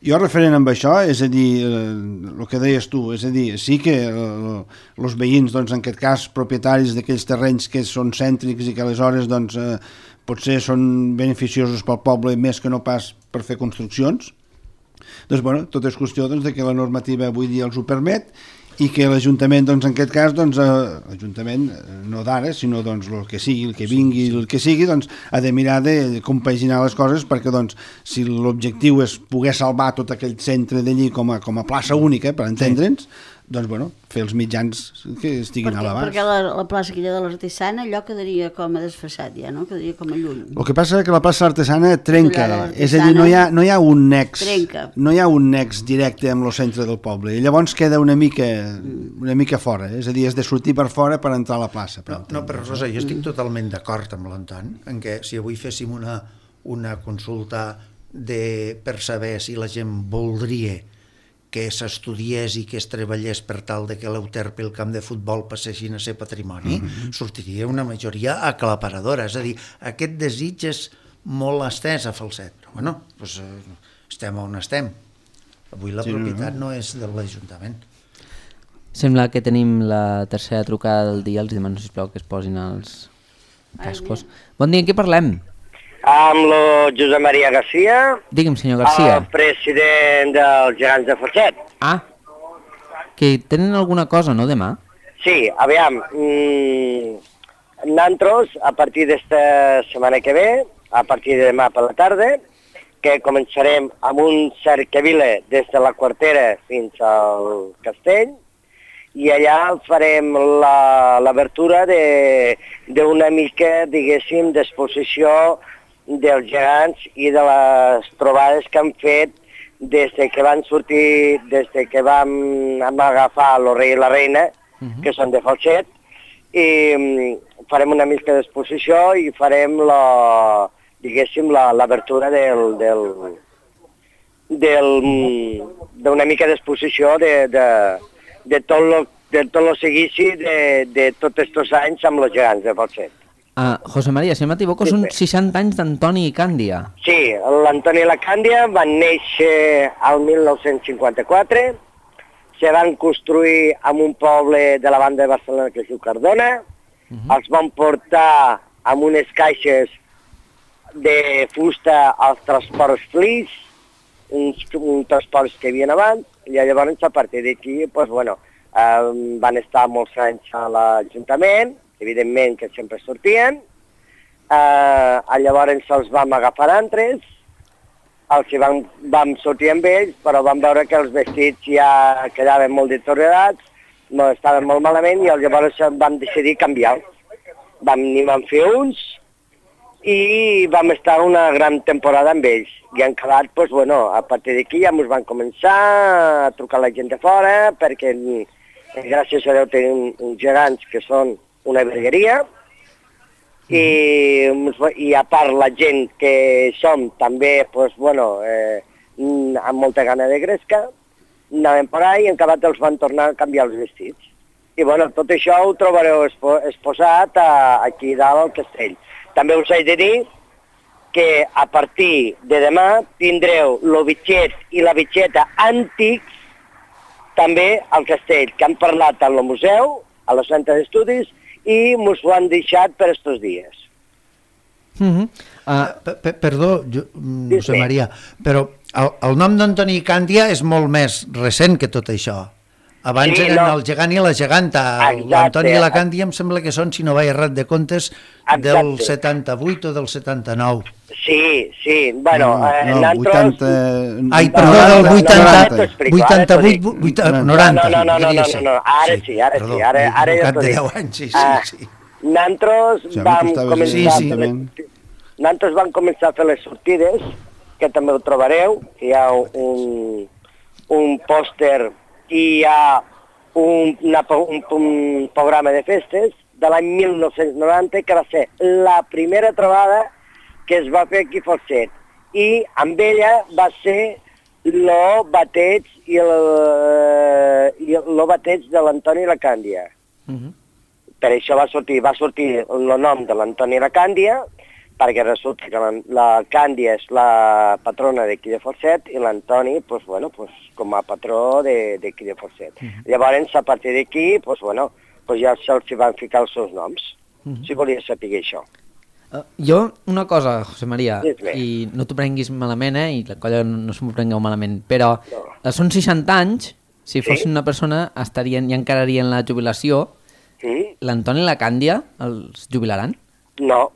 C: Jo referent amb això, és a dir, el que deies tu, és a dir, sí que els veïns, doncs, en aquest cas, propietaris d'aquells terrenys que són cèntrics i que aleshores, doncs, potser són beneficiosos pel poble més que no pas per fer construccions, doncs, bueno, tot és qüestió de que la normativa avui dia els ho permet i que l'Ajuntament, doncs, en aquest cas, doncs, l'Ajuntament, no d'ara, sinó doncs, el que sigui, el que vingui, el que sigui, doncs, ha de mirar de compaginar les coses perquè, doncs, si l'objectiu és poder salvar tot aquell centre d'allí com a plaça única, per entendre'ns, doncs, bueno, fer els mitjans que estiguin a l'abast.
B: Perquè la plaça aquella de l'Artesana, allò quedaria com a desfassat ja, no? Quedaria com a lluny.
C: El que passa és que la plaça Artesana trenca, és a dir, no hi ha un nex, no hi ha un nex directe amb el centre del poble, i llavors queda una mica fora, és a dir, has de sortir per fora per entrar a la plaça.
D: No, però Rosa, jo estic totalment d'acord amb l'Anton, en què si avui féssim una consulta per saber si la gent voldria que s'estudiés i que es treballés per tal de que l'Euterpe i el camp de futbol passessin a ser patrimoni, sortiria una majoria aclaparadora. És a dir, aquest desig és molt estès a Falset. Però, bueno, doncs estem on estem. Avui la propietat no és de l'Ajuntament.
A: Sembla que tenim la tercera trucada del dia. Els demano, sisplau, que es posin els cascos. Bon dia, en què parlem?
H: Amb el Josep Maria Garcia.
A: Digue'm, senyor Garcia.
H: El president dels Gegants de Falset.
A: Ah, que tenen alguna cosa, no, demà?
H: Sí, aviam, nosaltres, a partir d'esta setmana que ve, a partir de demà per la tarda, que començarem amb un cercavila des de la Quartera fins al castell, i allà farem l'obertura d'una mica, diguéssim, d'exposició dels gegants i de les trobades que han fet des que van sortir, des que vam agafar el rei i la reina, que són de Falset, i farem una mica d'exposició i farem diguéssim, l'obertura d'una mica d'exposició de tot el seguici de tots aquests anys amb els gegants de Falset.
A: José María, si no m'equivoco, són 60 anys d'Antoni i Càndia.
H: Sí, l'Antoni i la Càndia van néixer al 1954, se van construir en un poble de la banda de Barcelona que es diu Cardona, els van portar amb unes caixes de fusta als transports Flix, uns transports que hi havia abans, i llavors a partir d'aquí van estar molts anys a l'Ajuntament, evidentment que sempre sortien, llavors els vam agafar altres, els que vam sortir amb ells, però vam veure que els vestits ja quedaven molt deteriorats, estaven molt malament, i llavors vam decidir canviar-los. N'hi vam fer uns, i vam estar una gran temporada amb ells. I han quedat, a partir d'aquí ja ens van començar a trucar la gent de fora, perquè gràcies a Déu tenim uns gegants que són una vergueria, i a part la gent que som també, amb molta gana de gresca, anàvem per ahí i en acabat els van tornar a canviar els vestits. I tot això ho trobareu exposat aquí dalt al castell. També us he de dir que a partir de demà tindreu el bitxet i la bitxeta antics també al castell, que han parlat al museu, a la Centre d'Estudis, i mos ho han deixat per estos dies.
D: Perdó, José María, però el nom d'Antoni Càndia és molt més recent que tot això. Abans eren el gegant i la geganta. L'Antoni i la Càndia em sembla que són, si no vaig errat de comptes, del 78 o del 79.
H: Sí,
D: nosaltres... Ai, perdó, del 88, 90.
H: No, ara sí, ara ja t'ho dic. Nosaltres vam començar a fer les sortides, que també ho trobareu, hi ha un pòster i hi ha un programa de festes de l'any 1990 que va ser la primera trobada que es va fer aquí a Falset, i amb ella va ser el bateig de l'Antoni i la Càndia. Per això va sortir el nom de l'Antoni i la Càndia, perquè resulta que la Càndia és la patrona d'aquí de Falset i l'Antoni, com a patró d'aquí de Falset. Llavors, a partir d'aquí, ja se'ls van ficar els seus noms, si volia saber això.
A: Jo, una cosa, José María, i no t'ho prenguis malament, i la colla no s'ho prengueu malament, però són 60 anys, si fossin una persona, estarien i encararien la jubilació. L'Antoni i la Càndia els jubilaran?
H: No.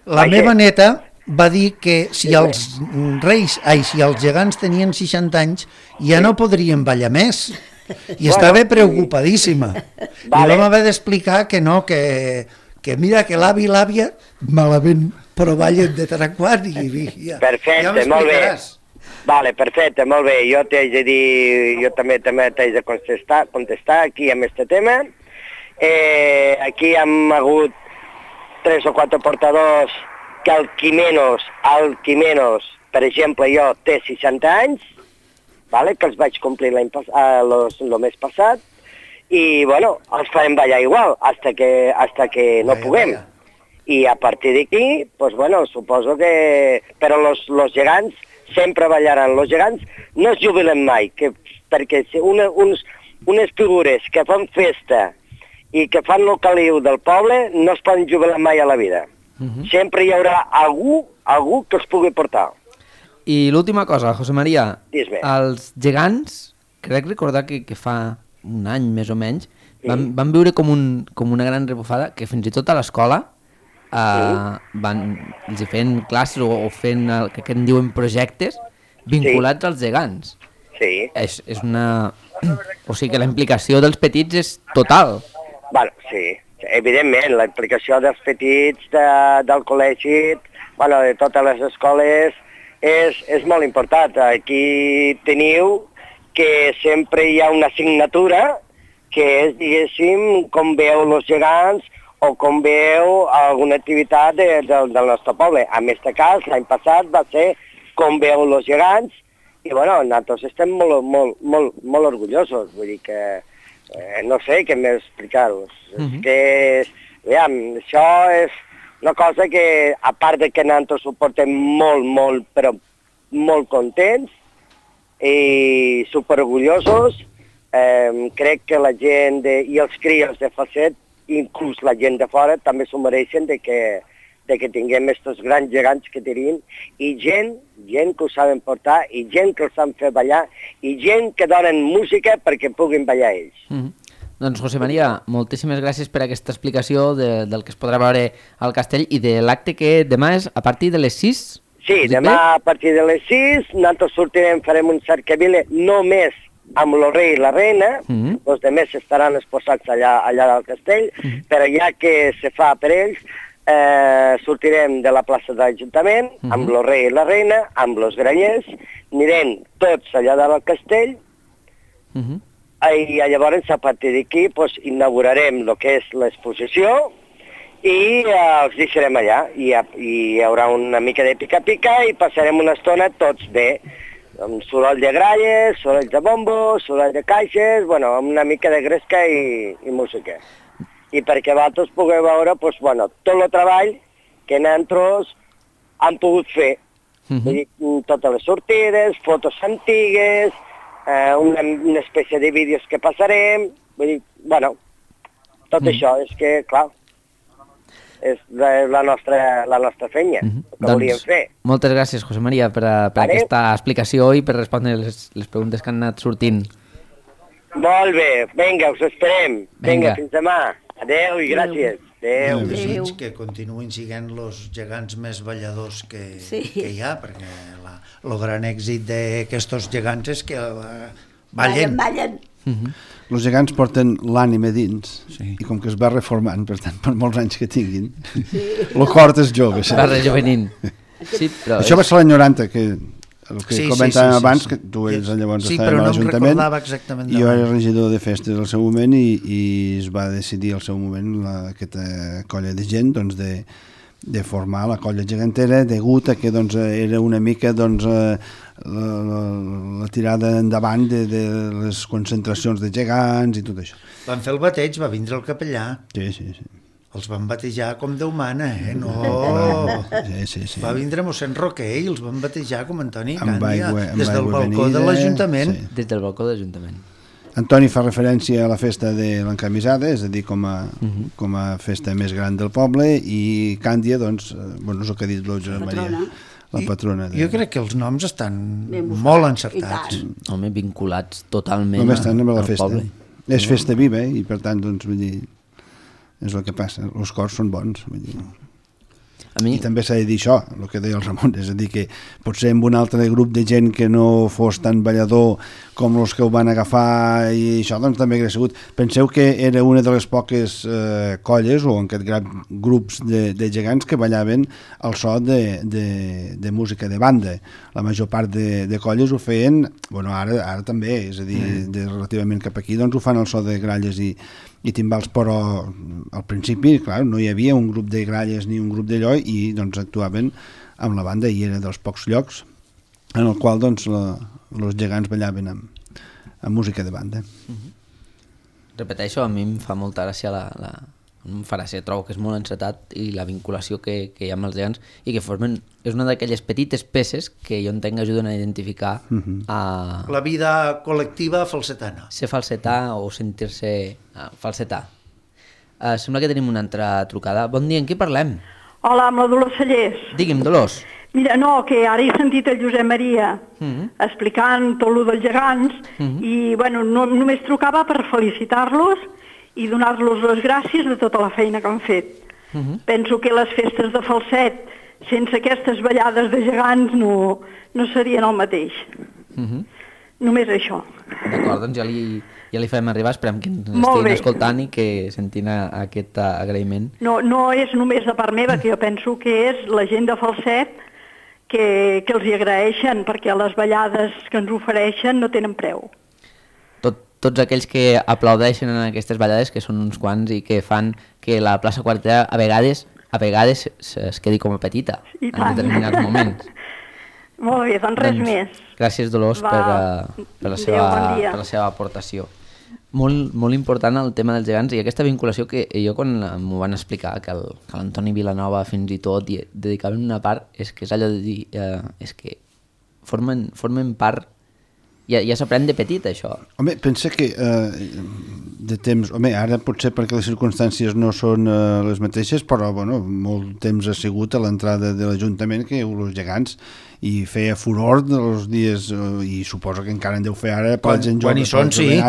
D: La meva neta va dir que si els gegants tenien 60 anys ja no podrien ballar més, i estava preocupadíssima. I vam haver d'explicar que no, que mira que l'avi i l'àvia malament, però ballen de tant en quant.
H: Perfecte, molt bé. Perfecte, molt bé. Jo t'haig de dir, jo també t'haig de contestar aquí amb aquest tema. Aquí hem hagut 3 o 4 portadors que el Quimenos, per exemple, jo té 60 anys, que els vaig complir el mes passat, i els farem ballar igual, hasta que no puguem. I a partir d'aquí, suposo que... Però los gegants sempre ballaran. Los gegants no es jubilen mai, perquè unes figures que fan festa i que fan el caliu del poble no es poden jubilar mai a la vida. Sempre hi haurà algú que els pugui portar.
A: I l'última cosa, José María,
H: Dis-me.
A: els gegants, crec recordar que fa un any més o menys, van viure com una gran rebufada que fins i tot a l'escola els hi feien classes o fent el que en diuen projectes vinculats als gegants.
H: Sí.
A: És una... O sigui que la implicació dels petits és total.
H: Bueno, sí, evidentment, la implicació dels petits del col·legi, bueno, de totes les escoles, és molt important. Aquí teniu que sempre hi ha una assignatura que és, diguéssim, com veu els gegants o com veu alguna activitat del nostre poble. En aquest cas, l'any passat va ser com veu els gegants i, bueno, nosaltres estem molt orgullosos. Vull dir que, no sé què més explicar-vos. És que, aviam, això és una cosa que, a part de que nosaltres ho portem però molt contents i superorgullosos, crec que la gent i els crios de Falset, inclús la gent de fora, també s'ho mereixen de que tinguem aquests grans gegants que tenim i gent que ho saben portar i gent que els saben fer ballar i gent que donen música perquè puguin ballar ells.
A: Doncs, José María, moltíssimes gràcies per aquesta explicació del que es podrà veure al castell i de l'acte que demà és a partir de les 6.
H: Sí, demà a partir de les 6 nosaltres sortirem, farem un cercavile només amb el rei i la reina, els altres estaran exposats allà al castell, però ja que se fa per ells, sortirem de la plaça de l'Ajuntament amb el rei i la reina, amb els grallers, anirem tots allà dalt al castell i llavors a partir d'aquí inaugurarem el que és l'exposició i els deixarem allà i hi haurà una mica de pica-pica i passarem una estona tots bé, amb soroll de gralles, soroll de bombos, soroll de caixes, bueno, amb una mica de gresca i música. I perquè vosaltres pugueu veure tot el treball que nosaltres hem pogut fer. Vull dir, totes les sortides, fotos antigues, una espècie de vídeos que passarem, vull dir, tot això és que, clar, és la nostra feina, el que volíem fer.
A: Moltes gràcies, José María, per aquesta explicació i per respondre les preguntes que han anat sortint.
H: Molt bé, vinga, us esperem. Vinga, fins demà. Adéu i gràcies. Adéu.
D: Desig que continuïn sent els gegants més balladors que hi ha, perquè el gran èxit d'aquests gegants és que ballen.
C: Els gegants porten l'ànima dins i com que es va reformant, per tant, per molts anys que tinguin, el cor és jove.
A: Va rejovenint.
C: Això va ser l'any 90, que el que comentàvem abans, que tu llavors estàvem a l'Ajuntament i jo era regidor de festes al seu moment i es va decidir al seu moment aquesta colla de gent de formar la colla gegantera degut a que era una mica la tirada endavant de les concentracions de gegants i tot això.
D: Van fer el bateig, va vindre el capellà.
C: Sí.
D: Els van batejar com Déu mana, no?
C: Sí.
D: Va vindre mossèn Roquer i els van batejar com Antoni Càndia, des del balcó de l'Ajuntament.
A: Des del balcó de l'Ajuntament.
C: Antoni fa referència a la festa de l'encamisada, és a dir, com a festa més gran del poble, i Càndia, és el que ha dit l'Oja Maria, la patrona.
D: Jo crec que els noms estan molt encertats.
A: Home, vinculats totalment
C: al festa.
A: poble.
C: És festa viva, i per tant, vull dir, és el que passa, els cors són bons, vull dir. I també s'ha de dir això, el que deia el Ramon, és a dir que potser amb un altre grup de gent que no fos tan ballador com els que ho van agafar i això també hauria sigut. Penseu que era una de les poques colles o en aquest grups de gegants que ballaven al so de música de banda. La major part de colles ho feien, ara també, és a dir, relativament cap aquí, ho fan al so de gralles i timbals, però al principi, clar, no hi havia un grup de gralles ni un grup d'allò i actuaven amb la banda i era dels pocs llocs en el qual els gegants ballaven amb música de banda.
A: Repeteixo, a mi em fa molta gràcia trobo que és molt encetat i la vinculació que hi ha amb els gegants i que és una d'aquelles petites peces que jo entenc ajuden a identificar
D: la vida col·lectiva falsetana.
A: Ser falsetà o sentir-se falsetà. Sembla que tenim una altra trucada. Bon dia, en qui parlem?
I: Hola, amb la Dolors Cellers.
A: Digui'm, Dolors.
I: Mira, no, que ara he sentit el Josep Maria explicant tot el dels gegants i, bueno, només trucava per felicitar-los i donar-los les gràcies de tota la feina que han fet. Penso que les festes de Falset, sense aquestes ballades de gegants, no serien el mateix. Només això.
A: D'acord, doncs ja li farem arribar, esperem que ens estiguin escoltant i que sentin aquest agraïment.
I: No és només de part meva, que jo penso que és la gent de Falset que els hi agraeixen, perquè les ballades que ens ofereixen no tenen preu.
A: Tots aquells que aplaudeixen en aquestes ballades, que són uns quants i que fan que la plaça Quartera a vegades es quedi com a petita en determinats moments.
I: Molt bé, doncs res més.
A: Gràcies, Dolors, per la seva aportació. Molt important el tema dels gegants i aquesta vinculació que jo quan m'ho van explicar, que l'Antoni Vilanova fins i tot dedicaven una part, és que és allò de dir, és que formen part, ja s'aprèn de petit això.
C: Home, pensa que de temps, ara potser perquè les circumstàncies no són les mateixes, però bueno, molt temps ha sigut a l'entrada de l'Ajuntament que els gegants i feia furor dels dies, i suposo que encara en deu fer ara, quan hi són, sí.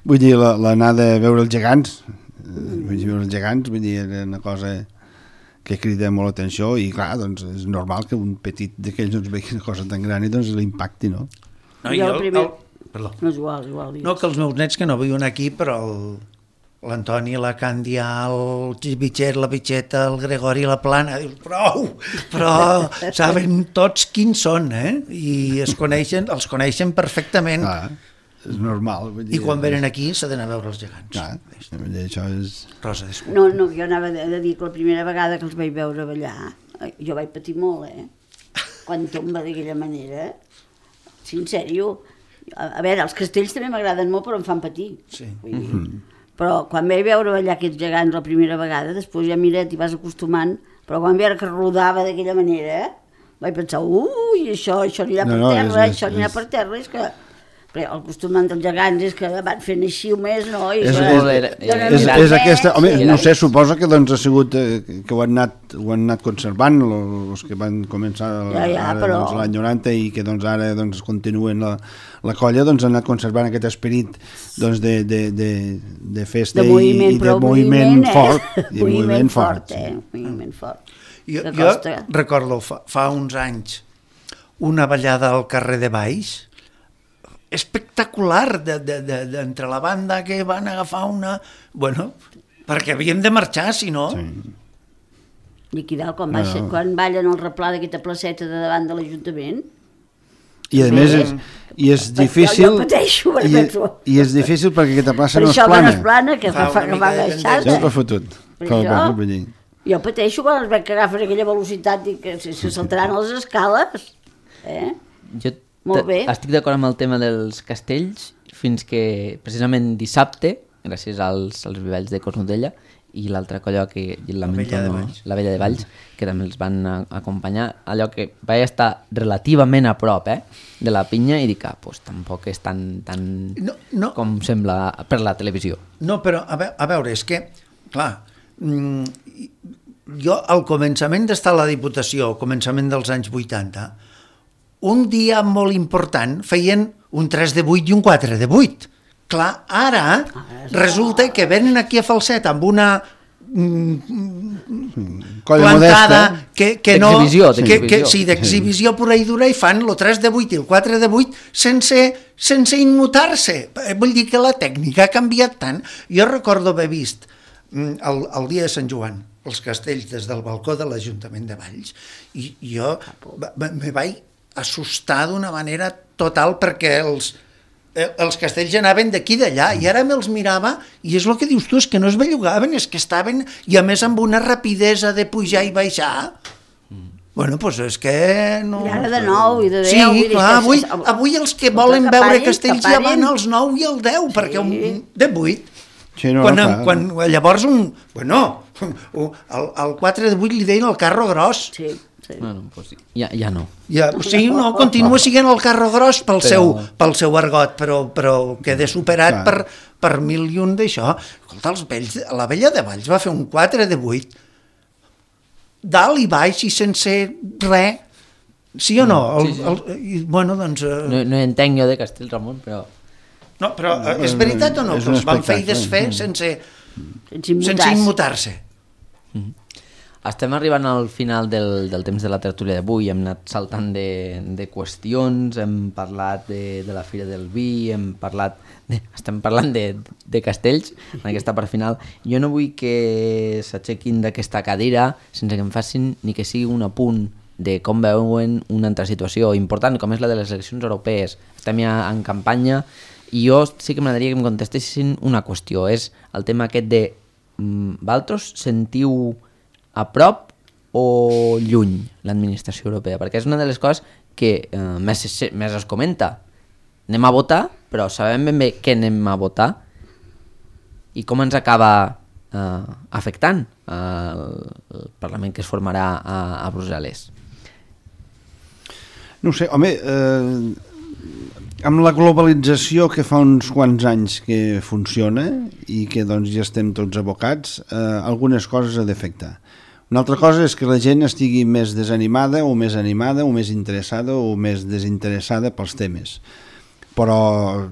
C: Vull dir, l'anada a veure els gegants, vull dir, era una cosa que crida molt l'atenció i clar, doncs és normal que un petit d'aquells no vegi una cosa tan gran i doncs l'impacti, no?
D: Perdó.
B: No és igual.
D: No, que els meus nets que no viuen aquí, però l'Antoni, la Càndia, el Bitxet, la Bitxeta, el Gregori, la Plana, dius, però saben tots quins són, i els coneixen perfectament.
C: És normal.
D: I quan venen aquí s'ha d'anar a veure els gegants.
C: Això és...
D: Rosa, disculpa.
B: No, jo anava a dir que la primera vegada que els vaig veure ballar, jo vaig patir molt, quan tomba d'aquella manera. Sí, en sèrio. A veure, els castells també m'agraden molt, però em fan patir.
D: Sí.
B: Però quan vaig veure ballar aquests gegants la primera vegada, després ja mira, t'hi vas acostumant, però quan veure que rodava d'aquella manera, vaig pensar, això anirà per terra, això anirà per terra, és que... Però el costum dels gegants és que van fent així o més, no?
C: És aquesta... Home, no sé, suposa que doncs ha sigut que ho han anat conservant els que van començar l'any 90 i que doncs ara continuen la colla, doncs han anat conservant aquest esperit de festa i de moviment fort.
B: Moviment fort.
D: Jo recordo fa uns anys una ballada al carrer de Baix espectacular d'entre la banda que van agafar una... Bueno, perquè havíem de marxar, si no...
B: I aquí dalt, quan ballen el replà d'aquesta placeta de davant de l'Ajuntament...
C: I a més és difícil...
B: Jo pateixo,
C: i és difícil perquè aquesta plaça no és plana.
B: Per això que no és plana, que fa agafar-se.
C: Ja t'ho fotut.
B: Jo pateixo quan els veig que agafen aquella velocitat i que se saltaran les escales.
A: Jo
B: molt bé.
A: Estic d'acord amb el tema dels castells fins que precisament dissabte, gràcies als vivalls de Cornudella i l'altra colla que la Vella de Valls, que també els van acompanyar, allò que vaig estar relativament a prop de la pinya i dic que pues, tampoc és tan com sembla per la televisió.
D: No, però a veure, és que, clar, jo al començament d'estar a la Diputació, al començament dels anys 80, un dia molt important feien un 3 de 8 i un 4 de 8. Clar, ara resulta que venen aquí a Falset amb una plantada que no... D'exhibició pura i dura i fan el 3 de 8 i el 4 de 8 sense immutar-se. Vull dir que la tècnica ha canviat tant. Jo recordo haver vist el dia de Sant Joan els castells des del balcó de l'Ajuntament de Valls i jo me vaig assustar d'una manera total perquè els castells anaven d'aquí d'allà i ara me'ls mirava i és el que dius tu, és que no es bellugaven, és que estaven i a més amb una rapidesa de pujar i baixar. Bueno, doncs és que no...
B: I ara de 9 i de 10.
D: Sí, clar, avui els que volen veure castells ja van als 9 i al 10, perquè de 8.
C: Sí,
D: quan llavors el 4 de 8 li deien el carro gros.
B: Sí.
A: Bueno, pues ja no.
D: Sí, no, continua sent el carro gros pel seu argot, però queda superat per 1.000 d'això. Escolta, la Vella de Valls va fer un 4 de 8 dalt i baix i sense res. Sí o no? Bueno, doncs...
A: No entenc jo de Castells, Ramon, però...
D: No, però és veritat o no? Que els van fer i desfer sense immutar-se.
A: Estem arribant al final del temps de la tertúlia d'avui, hem anat saltant de qüestions, hem parlat de la Fira del Vi, estem parlant de castells en aquesta part final. Jo no vull que s'aixequin d'aquesta cadira sense que em facin ni que sigui un apunt de com veuen una altra situació important, com és la de les eleccions europees. Estem ja en campanya i jo sí que m'agradaria que em contestessin una qüestió, és el tema aquest de vosaltres sentiu a prop o lluny l'administració europea? Perquè és una de les coses que més es comenta. Anem a votar, però sabem ben bé què anem a votar i com ens acaba afectant el Parlament que es formarà a Brussel·les.
C: No sé, home, amb la globalització que fa uns quants anys que funciona i que doncs ja estem tots abocats, algunes coses ha d'afectar. Una altra cosa és que la gent estigui més desanimada o més animada o més interessada o més desinteressada pels temes. Però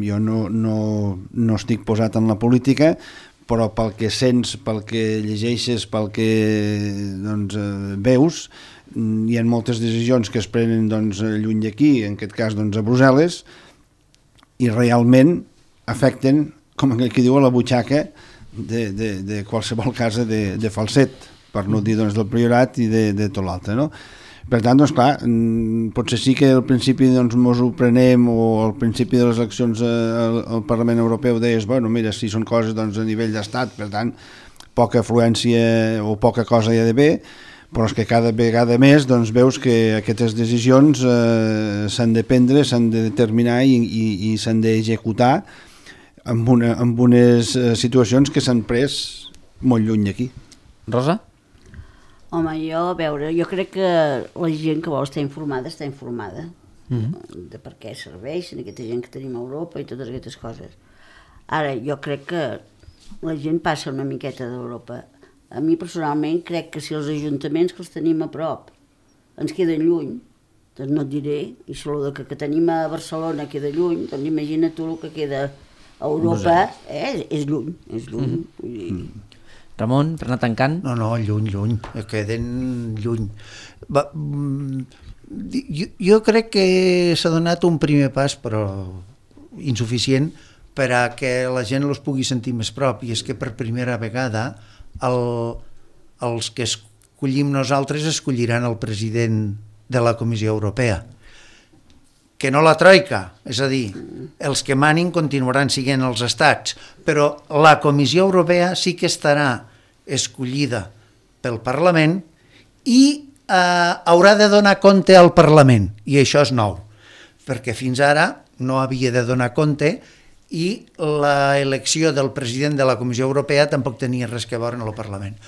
C: jo no estic posat en la política, però pel que sents, pel que llegeixes, pel que veus, hi ha moltes decisions que es prenen lluny d'aquí, en aquest cas a Brussel·les, i realment afecten, com aquí diu, a la butxaca de qualsevol casa de Falset, per no dir del Priorat i de tot l'altre, no? Per tant, clar, potser sí que al principi ens ho prenem, o al principi de les eleccions al Parlament Europeu deies, bueno, mira, si són coses a nivell d'estat, per tant, poca afluència o poca cosa hi ha d'haver, però és que cada vegada més veus que aquestes decisions s'han de prendre, s'han de determinar i s'han d'executar amb unes situacions que s'han pres molt lluny d'aquí.
A: Rosa?
B: Home, jo crec que la gent que vol estar informada de per què serveixen aquesta gent que tenim a Europa i totes aquestes coses. Ara, jo crec que la gent passa una miqueta d'Europa. A mi personalment crec que si els ajuntaments que els tenim a prop ens queden lluny, doncs no et diré, i si el que tenim a Barcelona queda lluny, doncs imagina't tu el que queda a Europa, és lluny.
A: Ramon, per anar tancant?
D: No, lluny, queden lluny. Jo crec que s'ha donat un primer pas, però insuficient, per a que la gent els pugui sentir més prop, i és que per primera vegada els que escollim nosaltres escolliran el president de la Comissió Europea, que no la troika, és a dir, els que manin continuaran sent els estats, però la Comissió Europea sí que estarà escollida pel Parlament i haurà de donar compte al Parlament, i això és nou, perquè fins ara no havia de donar compte i l'elecció del president de la Comissió Europea tampoc tenia res a veure en el Parlament.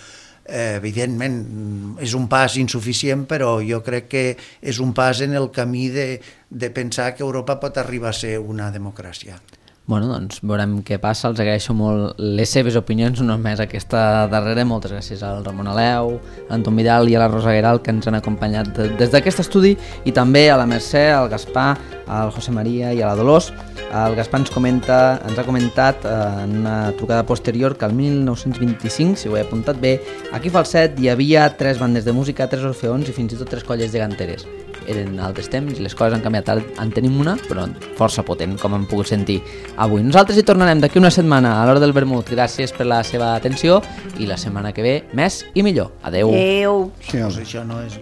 D: Evidentment, és un pas insuficient, però jo crec que és un pas en el camí de pensar que Europa pot arribar a ser una democràcia.
A: Bueno, doncs veurem què passa. Els agraeixo molt les seves opinions, no només aquesta darrera. Moltes gràcies al Ramon Aleu, a l'Anton Vidal i a la Rosa Gueral, que ens han acompanyat des d'aquest estudi, i també a la Mercè, al Gaspar, al José María i a la Dolors. El Gaspar ens ha comentat en una trucada posterior que el 1925, si ho he apuntat bé, aquí a Falset hi havia 3 bandes de música, 3 orfeons i fins i tot 3 colles geganteres. Eren altres temps i les coses han canviat. Ara en tenim una, però força potent, com hem pogut sentir avui. Nosaltres hi tornarem d'aquí una setmana a l'hora del vermut. Gràcies per la seva atenció i la setmana que ve més i millor. Adeu.
B: Adeu.
D: Pues això no és...